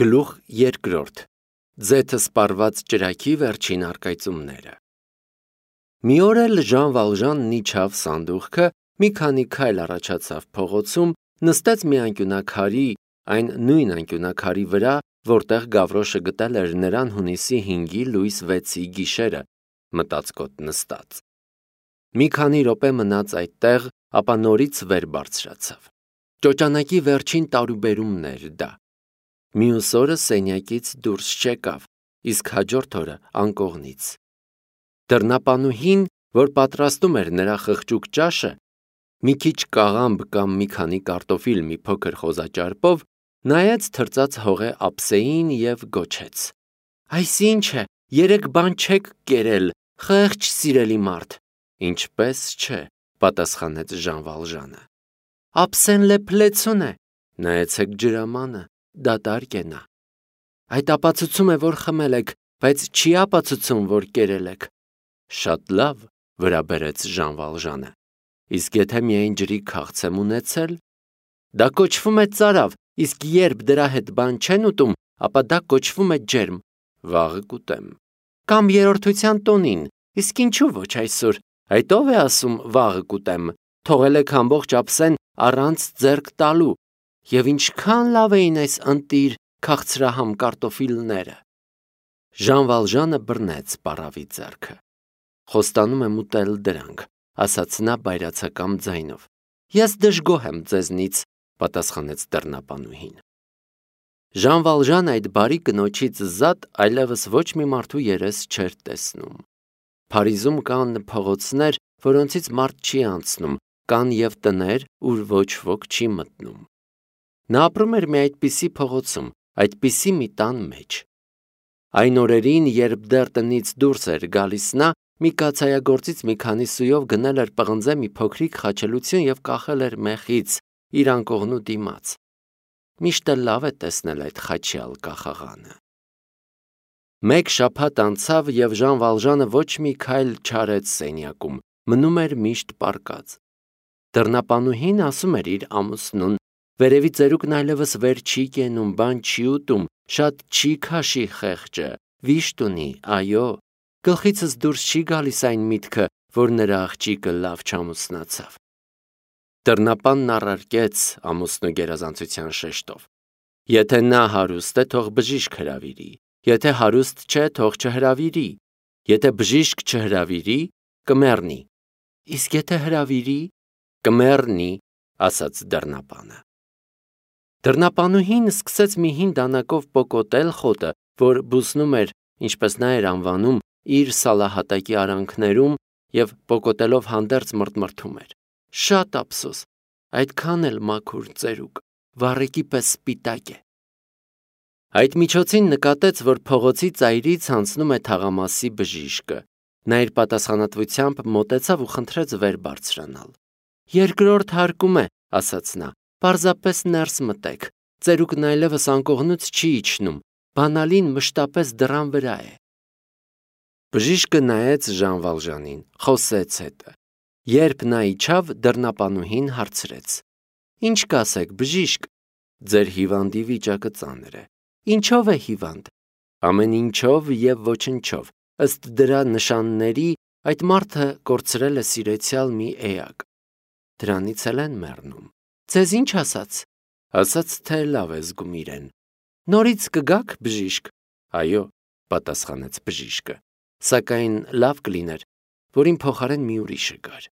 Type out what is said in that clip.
Գլուխ երկրորդ Ձեթը սպառված ճրագի վերջին առկայծումները Մի օր էլ Ժան Վալժանն իջավ սանդուղքը, մի քանի քայլ առաջացավ փողոցում, նստեց մի անկյունաքարի, այն նույն անկյունաքարի վրա, որտեղ Գավրոշը գտել էր նրան հունիսի 5-ի լույս 6-ի գիշերը, մտածկոտ նստած։ Մի քանի րոպե մնաց այդտեղ, ապա նորից վեր բարձրացավ։ Ճոճանակի վերջին տարուբերումն էր դա։ Մյուս օրը սենյակից դուրս չեկավ, իսկ հաջորդ օրը անկողնից։ Դռնապանուհին, որ պատրաստում էր նրա խղճուկ ճաշը, մի քիչ կաղամբ կամ մի քանի կարտոֆիլ մի փոքր խոզաճարպով, նայեց թրծած հողե ափսեին և գոչեց. «Այս ի՞նչ է, երեկ բան չեք կերել, խեղճ սիրելի մարդ»։ «Ինչպես չէ», պատասխանեց Ժան Վալժանը։ «Ափսեն լեփլեցուն է, նայեցեք ջրամանը, դատարկ է նա»։ «Այդ ապացուցում է, որ խմել եք, բայց չի ապացուցում, որ կերել եք»։ «Շատ լավ», վրա բերեց Ժան Վալժանը։ «Իսկ եթե միայն ջրի քաղց եմ ունեցել»։ «Դա կոչվում է ծարավ, իսկ երբ դրա հետ բան չեն ուտում, ապա դա կոչվում է ջերմ»։ «Վաղը կուտեմ»։ «Կամ երրորդության տոնին, իսկ ինչու ոչ այսօր, այդ ով է ասում վաղը կուտեմ, թողել եք ամբողջ ափսեն առանց ձեռք տալու, և ինչքան լավ էին այս ընտիր քաղցրահամ կարտոֆիլները»։ Ժան Վալժանը բռնեց պառավի ձեռքը։ «Խոստանում եմ ուտել դրանք», ասաց նա բայրացակամ ձայնով։ «Ես դժգոհ եմ ձեզնից», պատասխանեց դռնապանուհին։ Ժան Վալժանը այդ բարի կնոջից զատ այլևս ոչ մի մարդու երես չէր տեսնում։ Փարիզում կան փողոցներ, որոնցից մարդ չի անցնում, կան և տներ, ուր ոչ ոք չի մտնում։ Նա ապրում էր մի այդպիսի փողոցում, այդպիսի մի տան մեջ։ Այն օրերին, երբ դեռ տնից դուրս էր գալիս նա, մի կաթսայագործից մի քանի սույով գնել էր պղնձե մի փոքրիկ խաչելություն և կախել էր մեխից իր անկողնու դիմաց։ Միշտ էլ լավ է տեսնել այդ խաչյալ կախաղանը։ Մեկ շաբաթ անցավ, և Ժան Վալժանը ոչ մի քայլ չարեց սենյակում, մնում էր միշտ պառկած։ Դռնապանուհին ասում էր իր ամուսնուն. «Վերևի ծերուկն այլևս վեր չի կենում, բան չի ուտում, շատ չի քաշի խեղճը, վիշտ ունի, այո, գլխիցս դուրս չի գալիս այն միտքը, որ նրա աղջիկը լավ չամուսնացավ»։ Դռնապանն առարկեց ամուսնու գերազանցության շեշտով. «Եթե նա հարուստ է, թող բժիշկ հրավիրի, եթե հարուստ չէ, թող չհրավիրի, եթե բժիշկ չհրավիրի, կմեռնի»։ «Իսկ եթե հրավիրի»։ «Կմեռնի», ասաց դռնապանը։ Դռնապանուհին սկսեց մի հին դանակով պոկոտել խոտը, որ բուսնում էր, ինչպես նա էր անվանում, իր սալահատակի արանքներում և պոկոտելով հանդերձ մռթմռթում էր. «Շատ ափսոս, այդքան էլ մաքուր ծերուկ, վառեկի պես սպիտակ է»։ Այդ միջոցին նկատեց, որ փողոցի ծայրից անցնում է թաղամասի բժիշկը։ Նա իր պատասխանատվությամբ մոտեցավ ու խնդրեց վեր բարձրանալ։ «Երկրորդ հարկում է», ասաց նա, «պարզապես ներս մտեք, ծերուկն այլևս անկողնուց չի իջնում, բանալին մշտապես դռան վրա է»։ Բժիշկը նայեց Ժան Վալժանին, խոսեց հետը։ Երբ նա իջավ, դռնապանուհին հարցրեց. «Ինչ կասեք, բժիշկ»։ «Ձեր հիվանդի վիճակը ծանր է»։ «Ինչով է հիվանդ»։ «Ամեն ինչով և ոչնչով, ըստ դրա նշանների այդ մարդը կորցրել է սիրեցյալ մի էակ։ Դրանից էլ են մեռնում»։ «Ձեզ ինչ ասաց»։ «Ասաց, թե լավ է զգում իրեն»։ «Նորից կգաք, բժիշկ»։ «Այո», պատասխանեց բժիշկը, «սակայն լավ կլիներ, որ իմ փոխարեն մի ուրիշը գար»։